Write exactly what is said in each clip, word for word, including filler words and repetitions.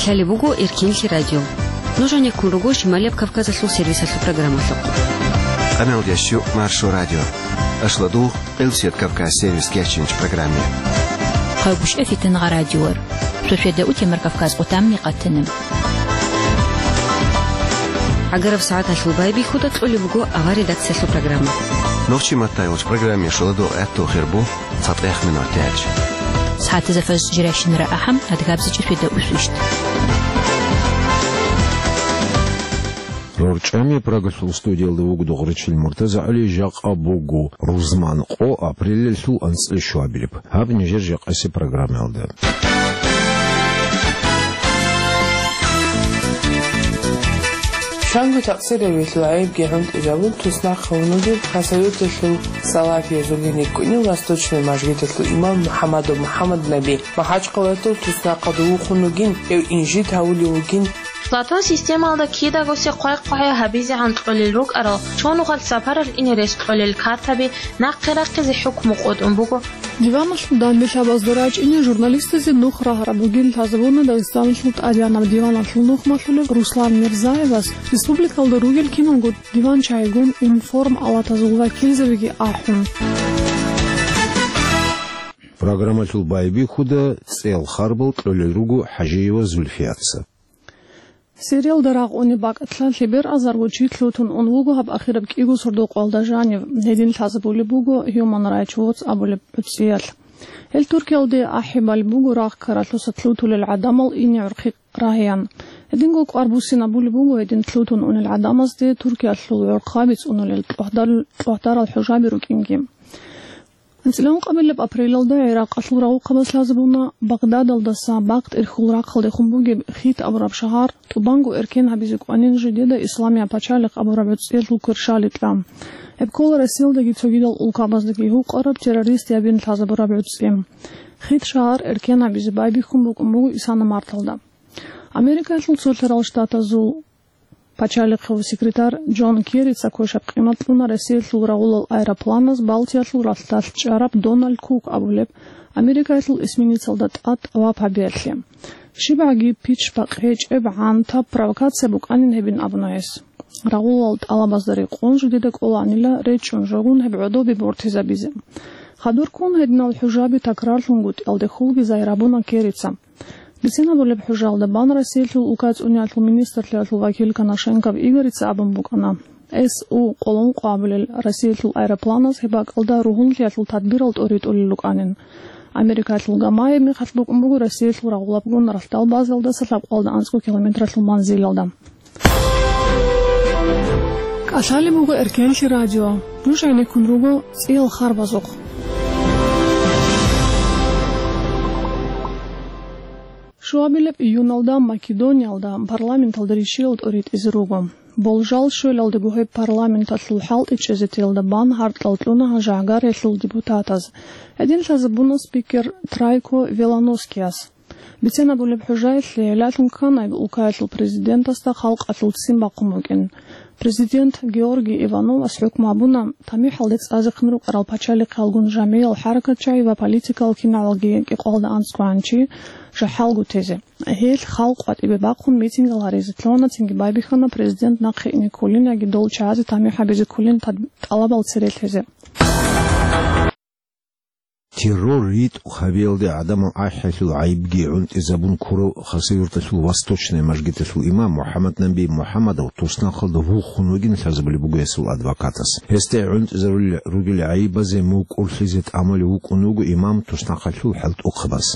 Лъалеб буго Эркенлъи радио. Нуж гьанеккун руго Шималияб Кавказалъул сервисалъул программалъухъ. Къамел ящу Маршо радио. Ашладугъ, Къилсият Кавказ сервис кечинч программе. Хъавгушев Фитангъа радиор. Шошведа утемар Кавказ къутамни къатанаб. ГӀагараб сагӀаталъул байбихьуда кьолеб буго авар редакциялъул программа. Нохчи маттайолч программе шоладугъ гӀатту хирбу. Цадахъ минут тяч. СагӀатазда фаз жирашинра ахӀам, адгабзичӀеб фида усвищ. РорчӀами Прагалъул студиялда вуго Дугъричил Муртазагьали, жакъа буго рузман къо, апрелалъул анцӀила щуабилеб. Гьаб нижер жакъаси программаялда. Чанго такъсиравилъул гӀайибги гӀунтӀизабун туснахъ гьунугеб Хасавюрталъул салафиязулин рикӀкӀунев Восточный мажгиталъул имам МухӀаммадов МухӀаммад Наби. МахӀачхъалаялъул туснахъалда вухун вугин, гьев инжит гьавулев вугин. Платон системалда кидагосе хъвай-хъвагьа гьабизегӀан кьолел рукӀарал, чон гъвал сапаралъ ине рес кьолел картаби нахъе рахъизе хӀукму къотӀун буго. Диваналъул данделъабазда рачӀине журналистазе нух рагьараб бугин лъазабуна Дагъистаналъул тӀадегӀанаб диваналъул нухмалъулев Руслан Мирзаевас республикалда ругел киналго диван-чайгун информ-алатазул вакилзабиги ахӀун. Программалъул байбихьуда цӀел харбал кьолел руго ХӀажиева Зульфияца. Сириялда рагъуни бакӀалъа лъебераб азарго чи лъутун ун вуго гьаб ахираб кӀиго сордо-къоялда жанив. Гьедин лъазабулеб буго Human Rights Watch абулеб гӀуцӀиялъ. Гьел Туркиялде ахӀи балеб буго рагъ ккаралъуса лъутулел гӀадамал ине гӀурхъи рагьеян. Гьединго кӀвар буссинабулеб буго гьедин лъутун унел гӀадамазде Туркиялъул гӀурхъаби цӀунулел тӀогьдал-, тӀогьдарал хӀужаби рукӀинги. АнцӀила ункъабилеб апрелалда ГӀиракъалъул рагъухъабаз лъазабуна Багъдадалдаса Бакъ-ТӀирхьул рахъалдехун бугеб Хит абураб шагьар, тӀубанго эркен гьабизе кӀванин жидеда Исламияб пачалихъ абураб гӀуцӀиялъул кверщаликьа. Гьеб ккола Россиялдаги цогидал улкабаздаги гьукъараб террористиябин лъазабураб гӀуцӀи. Хит шагьар эркен гьабизе байбихьун букӀун буго исана марталда. Америкаялъул Цолъарал Штатазул пачалихъав секретарь Джон Керрица квешаб къимат кьуна Россиялъул рагъулал аэропланаз Балтиялъул ралъдалъ чӀараб Дональд Кук абулеб Америкаялъул эсминецалда тӀад тӀаваб гьабиялъе. ЩибгӀаги пич-пакъ гьечӀеб гӀантаб провокация букӀанин гьебин абуна гьес. Рагъулал тӀалабазда рекъон жидеда кӀоланила речӀчӀун жогун гьеб гӀодобе бортизабизе. Хадур ккун гьединал хӀужаби такрарлъунгутӀиялдехулги загьир гьабуна Керрица. Бицинабулеб хӀужаялда бан Россиялъул улкацӀуниялъул министрлъиялъул вакил Коношенков Игорица абун букӀана: С У къоло ункъо абулел Россиялъул аэропланаз гьеб бакӀалда ругьунлъиялъул тадбирал тӀоритӀулел рукӀанин. Америкалъул гамаяб мехалъ букӀун буго Россиялъул рагъулабгун ралъдал базалдаса лъабкъоялда анцӀго километралъул манзилалда. КӀалъалеб буго Эркенлъи радио. Нуж гӀенеккун руго цӀиял харбазухъ. Шуабилеб июналда Македониялда парламенталда ришиял тӀоритӀизе руго. Болжал щвелалдаго гьеб парламенталъул хӀалтӀичӀезетиялда бан гьаркьал кьуна гьажагьгаралъул депутатаз. Гьедин лъазабуна спикер Трайко Веланоскияс. Биценабулеб хӀужаялъе гӀелалъун ккана гьеб улкаялъул президентасда халкъалъул ццин бахъун букӀин. Президент Георгий Ивановас хӀукму гьабуна, тамихӀалде цӀазехъин рукӀарал пачалихъалгун жамгӀиял хӀаракатчагӀи ва политикал киналги кӀикъоялда анцӀгоян чи жахӀалго тезе. Гьелъ халкъ къватӀибе бахъун митингал гьаризе лъугьана, цинги байбихьана президент нахъе ине кколин яги дол чагӀазе тамихӀ гьабизе кколин тӀалабал цере лъезе. Террор ритӀухъ гьабиялде гӀадамал ахӀиялъул гӀайибги гӀунтӀизабун ккурав Хасавюрталъул Восточный мажгиталъул имам МухӀаммад Наби МухӀаммадов туснахъалда вухун вугин лъазабулеб буго гьесул адвокатас. Гьесда гӀунтӀизарулел ругел гӀайибазе мукӀурлъизе тӀамулев вукӀун вуго имам туснахъалъул хӀалтӀухъабаз.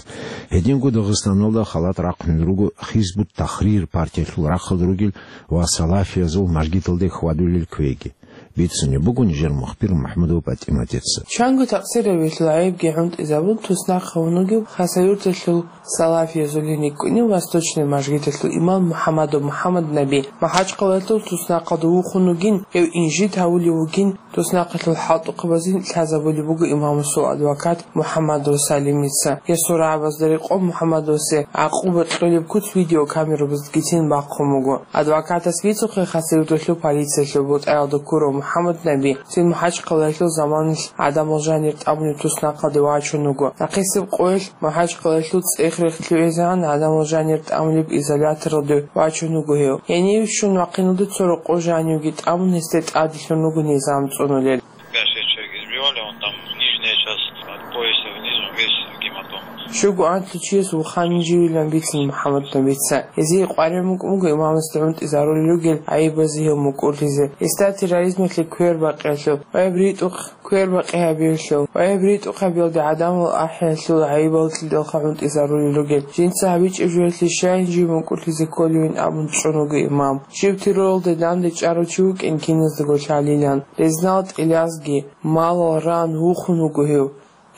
Гьединго Дагъистаналда халат рахъунел руго Хизбут-Тахрир партиялъул рахъалда ругел ва салафиязул мажгиталде хьвадулел квеги. Бицунеб буго нижер мухбир МухӀаммадова ПатӀиматица. Чанго такъсиравилъул гӀайибги гӀунтӀизабун туснахъ гьунугев Хасавюрталъул салафиязулин рикӀкӀунев Восточный мажгиталъул имам МухӀаммадов МухӀаммад Наби. МахӀачхъалаялъул туснахъалда вухун вугин, гьев инжит гьавулев вугин, туснахъалъул хӀалтӀухъабазин лъазабулеб буго имамасул адвокат МухӀаммадов Салимица. Гьесул рагӀабазда рекъон МухӀаммадовсе гӀакъуба кьолеб куц видеокамерабаздаги ццин бахъун буго. Адвокатас бицухъе Хасавюрталъул полициялъул бутӀаялда ккурав МухӀаммад Наби цин МахӀачхъалаялъул заманалъ гӀадамал жанир тӀамулеб туснахъалде вачун вуго. Нахъисеб къоялъ МахӀачхъалаялъул цӀех-рехъ лъугӀизегӀан гӀадамал жанир тӀамулеб изоляторалде вачун вуго гьев. Гьенив щун вахъиналде цо рокъов жанивги тӀамун, гьесде тӀаделъун руго низам цӀунулел. Первая часть человек избивали, он там нижняя часть от пояса вниз, он весь в гематомах. Щуго анлъго чияс вуханин живилан бицин МухӀаммад Набица. Гьезие къваригӀун букӀун буго имамасда гӀунтӀизарулел ругел гӀайибазе гьев мукӀурлъизе. Гьесда терроризмалъе квербакъиялъул ва гьеб ритӀухъ квербакъи гьабиялъул ва гьеб ритӀухъ гьабиялде гӀадамал ахӀиялъул гӀайибалъидалха гӀунтӀизарулел ругел. Жинца гьабичӀеб жоялъе щайин жив мукӀурлъизе кколевин абун чӀун вуго имам. Жив терроралде данде чӀарав чи вукӀин киназдаго лъалилан. Резнал тӀилазги, малал ран вухун вуго гьев.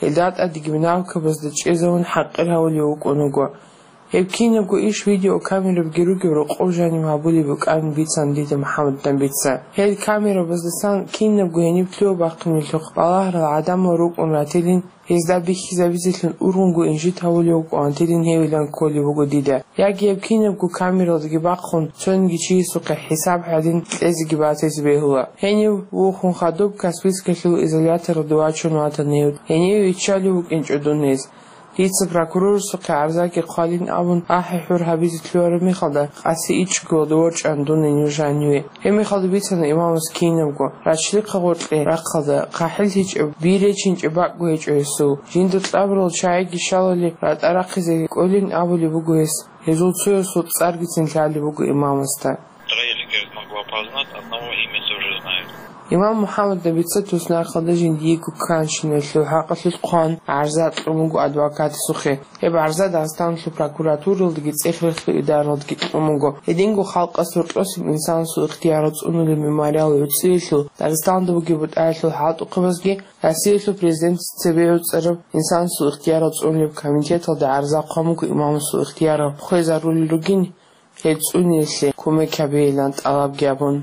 Гьелда тӀадеги минавкабазда чӀезавун хӀакъир гьавулев вукӀун вуго. Гьеб кинабго иш видеокамерабги ругев рокъов жанив гьабулеб букӀанин бицан дида МухӀаммад Набица. Гьел камерабаздасан кинабго гьениб лъугьа-бахъинилъухъ балагьарал гӀадамал рукӀун ратилин, гьезда бихьизабизелъун ургъунго инжит гьавулев вукӀун ратилин гьевилан кколеб буго дида. Яги гьеб кинабго камералдаги бахъун, цониги чиясухъе хӀисаб гьадин кьезеги батизе бегьула. Гьенив вухун хадуб Каспийскалъул изоляторалде вачун ватана гьев. Гьенив виччалев вукӀинчӀо дун гьез. Дица прокурорасухъе гӀарзаги хъвалин абун, ахӀи-хӀур гьабизе лъугьараб мехалда, къаси ичӀго ворчӀана дун гьенив жаниве. Гьеб мехалда бицана имамас кинабго, рачлихъа гъоркье рахъалда, хъахӀил гьечӀеб, би речинчӀеб бакӀго гьечӀо гьесул. Жинда кьабурал чагӀиги щалали ратӀа рахъизе кӀолин абулеб буго гьес. Гьезул цоясул цӀаргицин лъалеб буго имамасда. Строили, говорит, могу опознать, одного имя тоже знаю. Имам МухӀаммад Набица туснахъалда жиндиего кканщиналъул хӀакъалъулъ хъван, гӀарза кьун буго адвокатасухъе. Гьеб гӀарза Дагъистаналъул прокуратуралдаги цӀех-рехлъул идаралдаги кьун буго. Гьединго халкъас гьоркьосеб инсанасул ихтиярал цӀунулеб мемориал гӀуцӀиялъул Дагъисталда бугеб бутӀаялъул хӀалтӀухъабазги Россиялъул президентас цебе гӀуцӀараб инсанасул ихтиярал цӀунулеб комитеталда гӀарза хъван буго имамасул ихтиярал хвезарулел ругин, гьел цӀуниялъе кумек гьабейилан тӀалабги гьабун.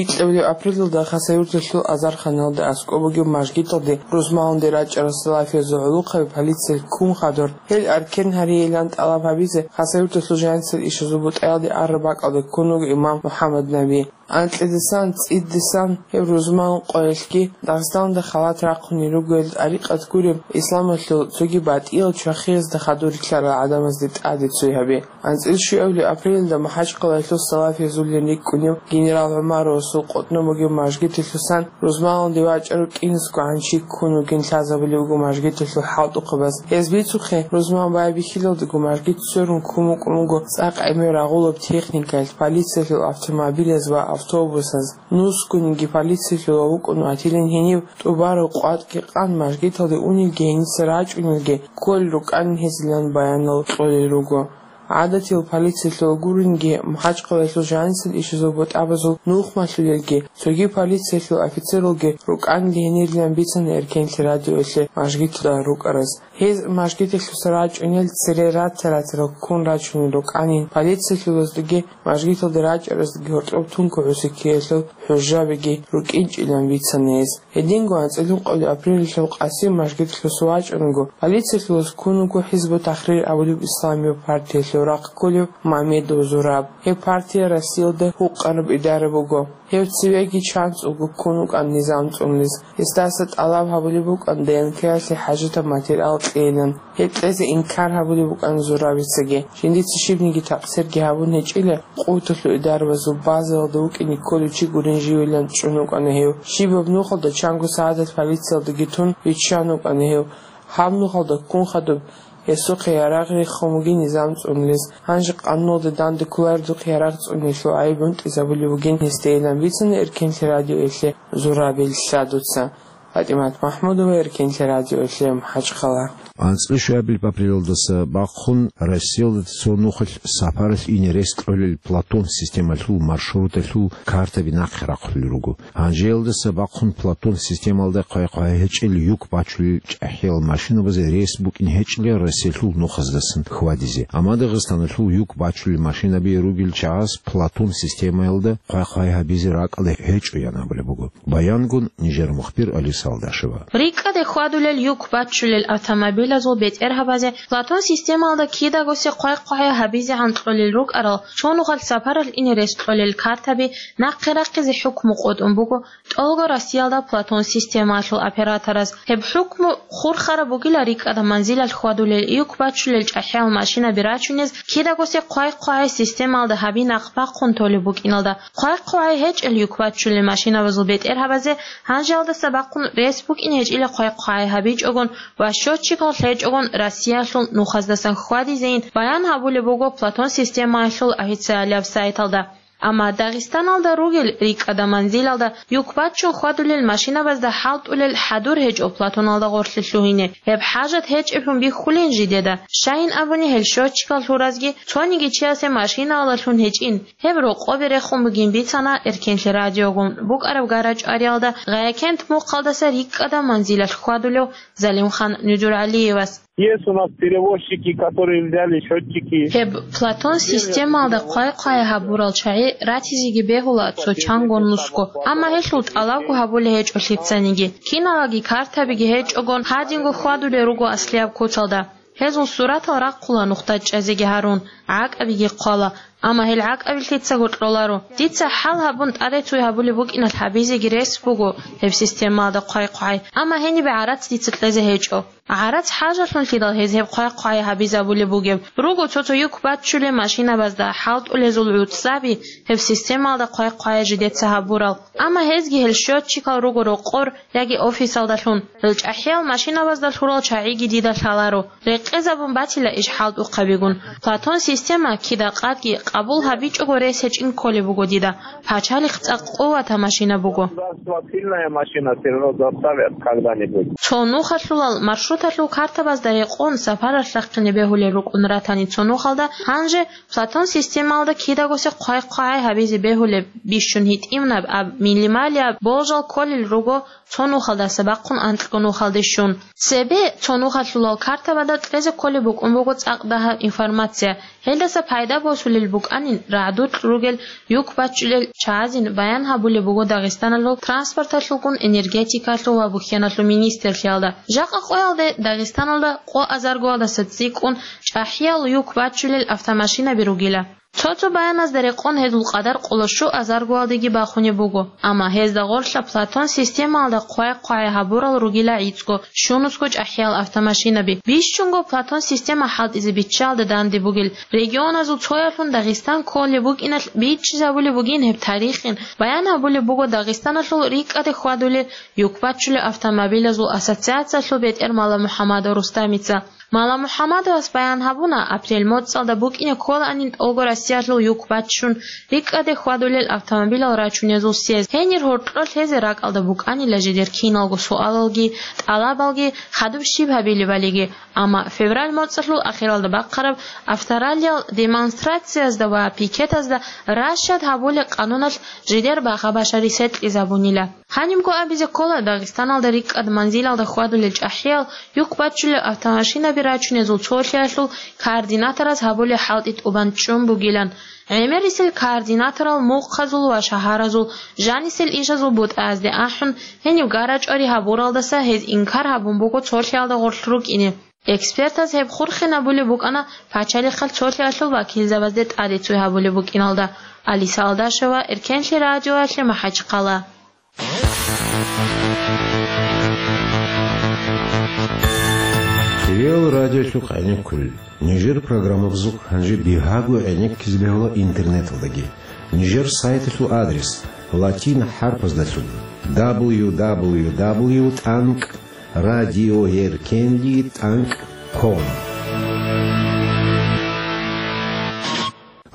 Икьабилеб апрелалда Хасавюрталъул азарханалда аскӀоб бугеб мажгиталде рузманалде рачӀарал салафиязул гӀолохъаби полициялъ ккун хадур, гьел аркен гьарейилан тӀалаб гьабизе Хасавюрталъул жанисел ишазул бутӀаялде араб бакӀалде ккун вуго имам МухӀаммад Наби. Анкьидасан, цӀидасан гьеб рузман къоялъги Дагъистанда халат рахъунел ругел тӀарикъат гуреб исламалъул цоги батӀиял чвахиязда хадур рилълъарал гӀадамазде тӀаде цой гьабе. АнцӀил щуабилеб апрелалда МахӀачхъалаялъул салафиязуллин рикӀкӀунев генерал ГӀумаровасул къотӀноб бугеб мажгиталъусан рузманалде вачӀарав кӀинусгогӀан чи ккун вугин лъазабулеб буго мажгиталъул хӀалтӀухъабаз. Гьез бицухъе, рузман байбихьилалдаго мажгит сверун ккун букӀун буго цӀакъ гӀемер рагъулаб техникаялъ, полициялъул автомобилаз ва автобусаз. Нусгониги полициялъула вукӀун ватилин гьенив тӀубараб къватӀги къан мажгиталде унелги гьениса рачӀунелги кколел рукӀанин гьезилан баянал кьолел руго. ГӀадатиял полициялъул гуринги, МахӀачхъалаялъул жанисел ишазул бутӀабазул нухмалъулелги, цоги полициялъул офицералги рукӀанин гьенирилан бицана Эркенлъи радиоялъе мажгиталда рукӀараз. Гьез мажгиталъуса рачӀунел цере ратта-ратарал ккун рачунел рукӀанин, полициялъулаздаги мажгиталде рачӀараздаги гьоркьоб тункугӀуси ккеялъул хӀужабиги рукӀинчӀилан бицана гьез. Гьединго анцӀила ункъабилеб апрелалъул къаси мажгиталъуса вачӀунго, полициялъулаз ккун вуго ХӀизбу-Тахрир абулеб исламияб партиялъул рахъ кколев Мамедов Зураб. Гьеб партия Россиялда гьукъараб идара буго. Гьев цевеги чанцӀулго ккун вукӀан низам цӀунулез. Гьесдаса тӀалаб гьабулеб букӀан ДНК-ялъе хӀажатаб материал кьейилан. Гьеб кьезе инкар гьабулеб букӀан Зурабицаги. Жиндица щибниги такъсирги гьабун гьечӀила, къуваталъул идарабазул базаялда вукӀине кколев чи гурин живилан чӀун вукӀана гьев. Щибаб нухалда чанго сагӀаталъ полициялдаги тун виччан вукӀана гьев. Гьаб нухалда ккун хадуб, гьесухъе ярагъ рехун бугин низам цӀунулез. Гьанже къануналда данде кколарелдухъ ярагъ цӀунелъул гӀайиб гӀунтӀизабулеб бугин гьесдейилан бицана Эркенлъи радиоялъе Зурабил Лъадуца. ПатӀимат МахӀмудова, Эркенлъи радиоялъе, МахӀачхъала. АнцӀила щуабилеб апрелалдаса бахъун Россиялда цо нухалъ сапаралъ ине рес кьолел Платон системалъул маршруталъул картаби нахъе рахъулел руго. Гьанжеялдаса бахъун Платон системалда хъвай-хъвай гьечӀел юк бачулел чӀахӀиял машинабазе рес букӀин гьечӀила Россиялъул нухаздасан хьвадизе. Амма Дагъистаналъул юк бачулел машинаби ругел чагӀаз Платон системаялда хъвай-хъвай гьабизе ракӀалда гьечӀо, ян абулеб буго. Баянгун нижер мухбир Алис Салдашева. РикӀкӀаде хьвадулел юк баччулел автомобилазул бетӀергьабазе Платон системалда кидаго се хъвай-хъвагьай гьабизегӀан кьолел рукӀарал, цо нухалъ сапаралъ ине рес кьолел картаби нахъе рахъизе хӀукму къотӀун буго тӀолго Россиялда Платон системалъул операторас. Гьеб хӀукму хурхараб бугила рикӀкӀада манзилалъ хьвадулел юк баччулел чӀахӀиял машинаби рачунез кидаго се хъвай-хъвагьай системалда гьаби нахъ бахъун толеб букӀиналда. Хъвай-хъвагьай гьечӀел юк баччулел машинабазул бетӀергьабазе гьанжеялдаса бахъун рес букӀин гьечӀила хъвай-хъвагьай гьабичӀогон ва счётчикал лъечӀогон Россиялъул нухаздасан хьвадизейин баян гьабулеб буго Платон системаялъул официалияб сайталда. Амма Дагъистаналда ругел рикӀкӀада манзилалда юк баччун хьвадулел машинабазда хӀалтӀулел хӀадур гьечӀо Платоналда гъорлъе лъугьине. Гьеб хӀажат гьечӀеблъун бихьулин жидеда. Щайин абуни, гьел счётчикал лъуразги цониги чиясе машинаялдалъун гьечӀин. Гьеб рокъобе рехун бугин бицана Эркенлъи радиогун букӀараб гара-чӀвариялда Гъаякент мухъалдаса рикӀкӀада манзилалъ хьвадулев Залимхан Нуджуралиевас. Есть у нас перевозчики, которые взяли счётчики. Гьеб Платон системалда хъвай-хъвай гьабурал чагӀи ратизеги бегьула цо чанго нусго, амма гьелъул тӀалабго гьабулей гьечӀо лъицаниги. Киналаги картабиги гьечӀогон гьадинго хьвадулел руго аслияб куцалда. Гьезул суратал рахъула нухда чӀезеги гьарун, гӀакӀабиги хъвала, амма гьел гӀакӀаби лъицаго кьоларо. Дица хӀал гьабун тӀаде цуй гьабулеб букӀиналъ гьабизеги рес буго гьеб системалда хъвай-хъвай, амма гьенибе гӀарац дица кьезе гьечӀо. ГӀарац хӀажалъунлъидал гьез гьеб хъвай-хъвай гьабизабулеб бугеб. Руго цо-цо юк баччулел машинабазда хӀалтӀулезул гӀуцӀаби гьеб системалда хъвай-хъвай жидеца гьабурал. Амма гьезги гьел счётчикал руго рокъор яги офисалдалъун. Гьел чӀахӀиял машинабазда лъурал чагӀиги дида лъаларо. Рекъезабун батила иш хӀалтӀухъабигун. Платон система кида къадги къабул гьабичӀого рес гьечӀин кколеб буго дида. Пачалихъ цӀакъ къуватаб машина буго. Государство сильная машина, все равно заставят когда-нибудь. Цо нухалъулал маршруталъул картабазда рекъон сапаралъ рахъине бегьулел рукӀун ратани цо нухалда, гьанже Платон системалда кидаго се хъвай-хъвагьай гьабизе бегьулеб бищун гьитӀинаб аб минималияб болжал кколел руго цо нухалдаса бахъун анкьго нухалде щун. Цебе цо нухалъулал картабада кьезе кколеб букӀун буго цӀакъ дагьаб информация. Гьелдаса пайда босулел букӀанин рагӀдукь ругел юк баччулел чагӀазин баян гьабулеб буго Дагъистаналъул транспорталъулгун, энергетикалъул ва бухьеналъул министрлъиялда. Жакъа къоялде Дагъистаналда къо азаргоялдаса цӀикӀкӀун чӀахӀиял юк баччулел автомашинаби ругила. Цо-цо баяназда рекъон гьезул къадар къоло щуазаргоялдеги бахунеб буго, амма гьезда гъорлъа Платон системалда хъвай-хъвагьай гьабурал ругила гӀицӀго, щунусго чӀахӀиял автомашинаби. Бищунго Платон система хӀалтӀизе биччалда данде бугел регионазул цоялъун Дагъистан кколеб букӀиналъ бичӀчӀизабулеб бугин гьеб тарихин. Баян гьабулеб буго Дагъистаналъул рикӀкӀаде хьвадулел юк баччулел автомобилазул ассоциациялъул бетӀер Маламухьамадов Рустамица. Маламухьамадовас баян гьабуна, апрель моцӀалда букӀине кколаанин тӀолго Россиялъул юк баччун рикӀкӀаде хьвадулел автомобилал рачунезул съезд. Гьенир гьоркьор лъезе ракӀалда букӀанила жидер киналго суалалги, тӀалабалги, хадуб щиб гьабилебалиги. Амма февраль моцӀалъул ахиралда бахъараб автораллиял демонстрациязда ва пикетазда ращад гьабулел къануналъ жидер багъа-башари сетӀизабунила. Гьанибго абизе ккола, Дагъистаналда рикӀкӀад манзилалда хьвадулел чӀахӀиял юк баччулел автомашинаби рачунезул цолъиялъул координаторас гьабулеб хӀалтӀи тӀубан чӀун бугилан. ГӀемерисел координаторал мухъазул ва шагьаразул жанисел ишазул бутӀаязде ахӀун, гьенив гара-чӀвари гьабуралдаса гьез инкар гьабун буго цолъиялда гъорлъ рукӀине. Экспертаз гьеб хурхинабулеб букӀана пачалихъал цолъиялъул вакилзабазде тӀаде цой гьабулеб букӀиналда. Алиса Алдашева, Эркенлъи радиоялъе МахӀачхъала. Хириял радиолъухъ гӀенеккулел. Нижер программабазухъ гьанже бигьаго гӀенеккизе бегьула интернеталдаги. Нижер сайталъул адрес латин хӀарпаздалъун: дабл ю дабл ю дабл ю тӀанкӀ радиоеркенли тӀанкӀ ком.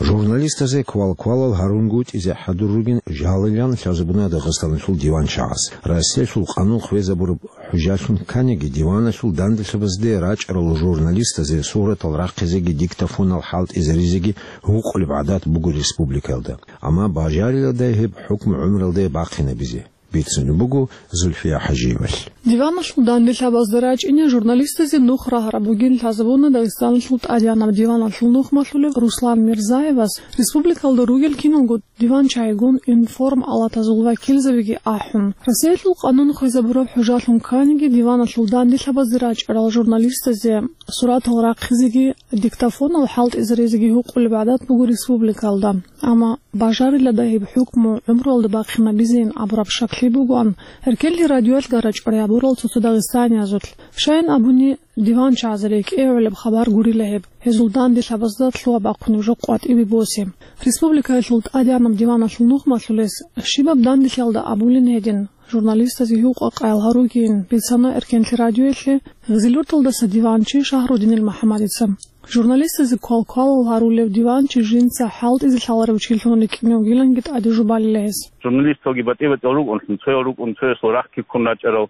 Журналистазе квал-квалал гьарунгутӀизе хӀадур ругин жалилан лъазабуна Дагъистаналъул диванчагӀаз. Россиялъул къанун хвезабураб хӀужалъун кканиги, диваналъул данделъабазде рачӀарал журналистазе суратал рахъизеги диктофонал хӀалтӀизаризеги гьукъулеб гӀадат буго республикаялда. Амма бажариладай гьеб хӀукму гӀумралде бахъинабизе. бицунеб буго Зульфия ХӀажиевалъ. Диваналъул данделъабазда рачӀине журналистазе нух рагьараб бугин лъазабуна Дагъистаналъул тӀадегӀанаб диваналъул нухмалъулев Руслан Мирзаевас, республикалда ругел киналго диванчагӀигун информалатазул вакилзабиги ахӀун. Россиялъул къанун хвезабураб хӀужалъун кканиги, диваналъул данделъабазде рачӀарал журналистазе суратал рахъизеги диктофонал хӀалтӀизаризеги гьукъулеб гӀадат буго республикалда. Амма бажарила дагьиб хӀукму гӀумруялда бахъинабизейин абураб шаклъи бугоан, эркенлъи радиоялъ гарачӀварай гьабурал цо-цо дагъистаниязулъ. Щайин абуни, диванчагӀазда рекӀее гӀолеб хабар гурила гьеб, гьезул данделъабазда лъугьа-бахъунеб жо къватӀибе босе. Республикаялъул тӀадегӀанаб диваналъул нухмалъулес щибаб данделъиялда абулин гьедин, журналистазе гьукъа-къаял гьаругейин, бицана эркенлъи радиоялъе Гъизилурталдаса диванчи Шагьрудинил МухӀаммадица. Журналистазе квалквалал гьарулев диванчи жинца хӀалтӀизе лъаларев чилъун рикӀкӀине вугиланги тӀаде жубалила гьес. Журналисталги батӀи-батӀиял рукӀунлъун, цоял рукӀун цоясул рахъги ккун рачӀарал,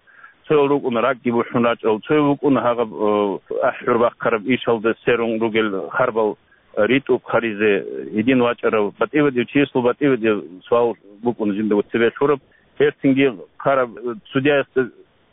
цоял рукӀун ракӀги бухӀун рачӀарал, цояв вукӀун гьагъаб, э, ахӀур бахъараб ишалда сверун ругел харбал, э, ритӀухъ гьаризе гьедин вачӀарав, батӀи-батӀияв чиясул батӀи-батӀияв суал букӀун жинда цебе лъураб. Гьерцинги хъараб, э, судьяясда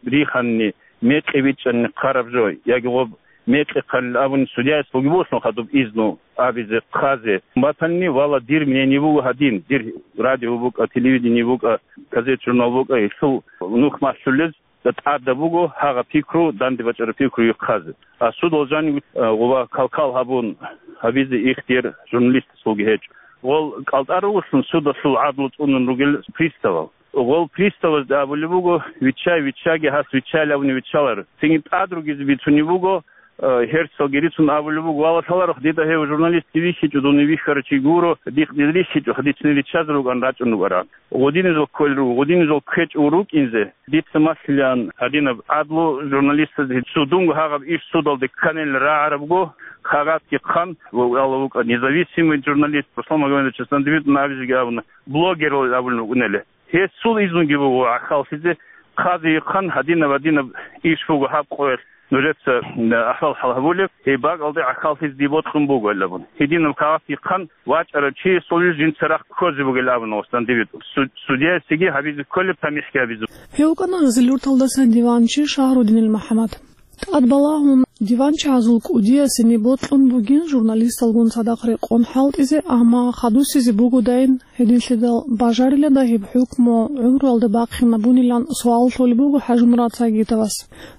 риханни, мекъи бичӀчӀанни хъараб жо, яги гъоб мекъи хъалил абуни, судьяяс бугеб болъун хадуб изну абизе, хъазе батанни, вала, дир мнение буго гьадин, дир радио букӀа, телевидение букӀа, газет-журнал букӀа, гьелъул нухмалъулез тӀада буго гьагъа пикру, данде бачӀараб пикру ихъазе. А судал жанив, а, гъуба кал-кал гьабун гьабизе ихтияр журналистасулги гьечӀо. Гъол кӀалтӀа ругелъун судалъул гӀадлу цӀунун ругел приставал. Гъол приставазда абулеб буго: «Виччай, виччаги, гьас виччайилан абуни виччаларо». Цинги тӀад ругизе бицунеб буго, э, гьерсалги рицун абулеб буго: «Вала, лъаларухъ, дида гьев журналистги вихьичӀо, дун вихьарав чи гуро, дихъ дир рихьичӀо, дицин риччазе рукӀан рачӀун рукӀаран». Гъодинезул кколел руго, гъодинезул ккечӀого рукӀинзе. Дица малъилан гьадинаб гӀадлу журналистазда, гьесул дунго гьагъаб иш судалде кканил рагӀарабго, кагъатги хъан, ва Аллагь вукӀа независимый журналист Руслан Магомедович Сандвитовна абизеги абуна, блогерал абулев вукӀунели. Гьесул изнуги буго гӀахьаллъизе, хъазе ихъан, гьадинаб-гьадинаб иш буго гьаб къоялъ, нужеца, м, ахӀвал-хӀал гьабулеб, гьеб бакӀалде гӀахьаллъизе дие бокьун буго, гьел абун. Гьединаб кагъат ихъан, вачӀарав чиясул жинца рахъ ккозе бугел абуна Остандибит. Су-, судьяясеги гьабизе кколеб, тамихӀги гьабизе. Гьев вукӀана Гъизилурталдаса диванчи Шагьрудинил МухӀаммад. ТӀад балагьун, диванчагӀазул кӀудиясеги бокьун бугин журналисталгун цадахъ рекъон хӀалтӀизе, амма хадусизе бугодайин, гьединлъидал бажарила дагьиб хӀукму гӀумруялда бахъинабунилан суал лъолеб буго ХӀажимурад Сагитовас.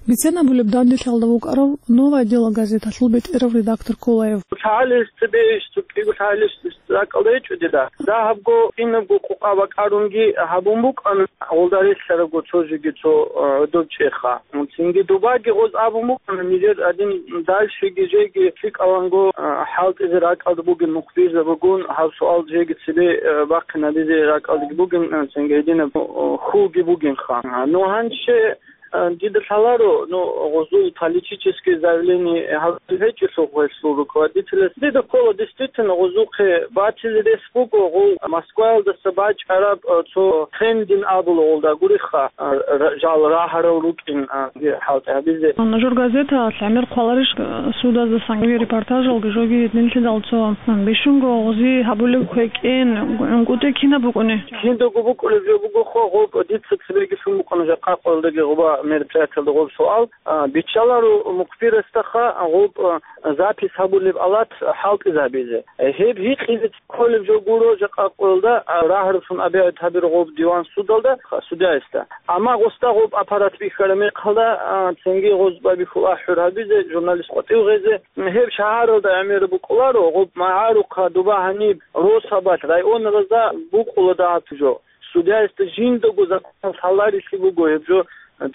Бицен абулеб данделъиялда вукӀарав «Новое дело» газеталъул бетӀерав редактор Кулаев. ЛъагӀалищ цебе иш, цо кӀиго лъагӀалищ ракӀалда гьечӀо дида. Дагьабго, кинабго къукъа бакӀарунги гьабун букӀана гъолда релълъарабго цо жеги цо, а, гӀодоб чӀеха. Цинги дубаги гъоз абун букӀана, нижер гьадин дальшеги жеги лъикӀаланго, а, хӀалтӀизе ракӀалда бугин мухбирзабигун, гьаб суал жеги цебе, а, бахъинабизе ракӀалдаги бугин, а, цинги гьединаб, а, хьулги бугинха. А, ну, гьанже, а, дида лъаларо, ну, гъозул политический заявление гьабулеб гьечӀелъул гъолъул руководителяс. Дида ккола, действительно, гъозухъе батизе рес буго, гъол Москваялдаса бачӀараб, а, цо трендин абула гъолда гуриха, а, ра-, жал рагьарал рукӀин, а, хӀалтӀи гьабизе. Нужер газеталъ гӀемер хъваларищ, а, судазда санги репортажалги жоги гьединлъидал цо, а, бищунго гъози гьабулеб квекӀен, гӀункӀутӀи кинаб букӀуни? Жиндаго букӀулеб жо буго хо, гъоб дица цебеги лъун букӀана жакъа къоялдаги гъоба мероприятиялда гъоб суал. А, биччаларо мухбирасдаха гъоб, а, запись гьабулеб алат хӀалтӀизабизе. Гьеб гьикъизе кколеб жо гуро жакъа къоялда, а, рагьараб сун абиаят гьабиро гъоб диван судалда, ха, судьяясда. Амма гъосда гъоб аппарат бихьараб мехалда, а, цинги гъоз бабихьул ахӀур гьабизе, журналист къватӀив гъезе, гьеб шагьаралда гӀемер букӀуларо, гъоб магӀарухъа дуба гьаниб росабалъ, районалазда букӀула дагьаб жо. Судьяясда жиндаго законалъ гьаларилъи буго гьеб жо,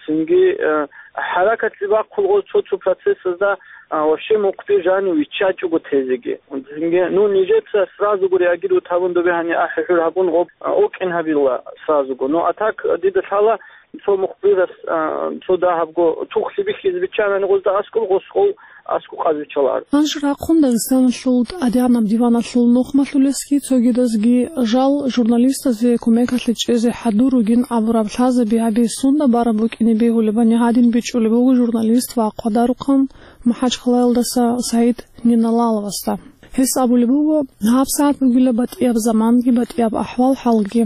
цинги, э, хӀаракатлъи бахъулгъо цо-цо процессазда, а, вообще мухъби жанив виччачӀого тезеги. Цинги, ну, нижеца сразуго реагировать гьабун, добе гьани ахӀи-хӀур гьабун гъоб, а, окӀин гьабила сразуго. Ну, а так, дида лъала, цо мухъбирас, а, цо дагьабго тухлъи бихьизе биччанани гъозда аскӀоб, гъос гъов аскӀоб къазвиччаларо. Гьанже рахъун Дагъистаналъул тӀадегӀанаб диваналъул нухмалъулесги цогидазги жал журналистазе кумекалъе чӀезе хӀадур ругин абураб лъазаби гьабизе сунда бараб букӀине бегьулебани гьадин бичӀчӀулеб буго журналист ва хъвадарухъан МахӀачхъалаялдаса СагӀид Ниналаловасда. Гьес абулеб буго, гьабсагӀат бугила батӀияб заманги батӀияб ахӀвал-хӀалги.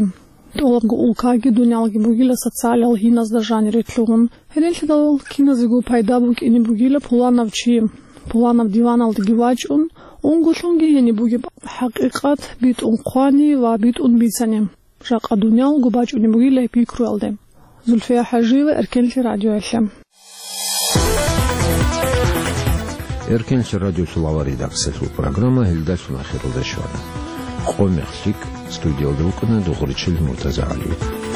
ТӀолабго улкаги дуниялги бугила социалал гьиназда жанире лъугьун. Гьелелъидал киназего пайда букӀине бугила пуланав чи, пуланаб диваналдаги вачӀун, унго лъунги гьениб бугеб хӀакъикъат битӀун хъвани ва битӀун бицани. Жакъа дуниялго бачӀунеб бугила гьеб пикруялде. Зульфия ХӀажиева, Эркенлъи радиоялъе. Эркенлъи радиолъулава редакциялъул программа гьелдалъун ахиралда щвана. Къо-мех лъикӀ, студиялда вукӀана Дугъричил МуртазагӀалиев.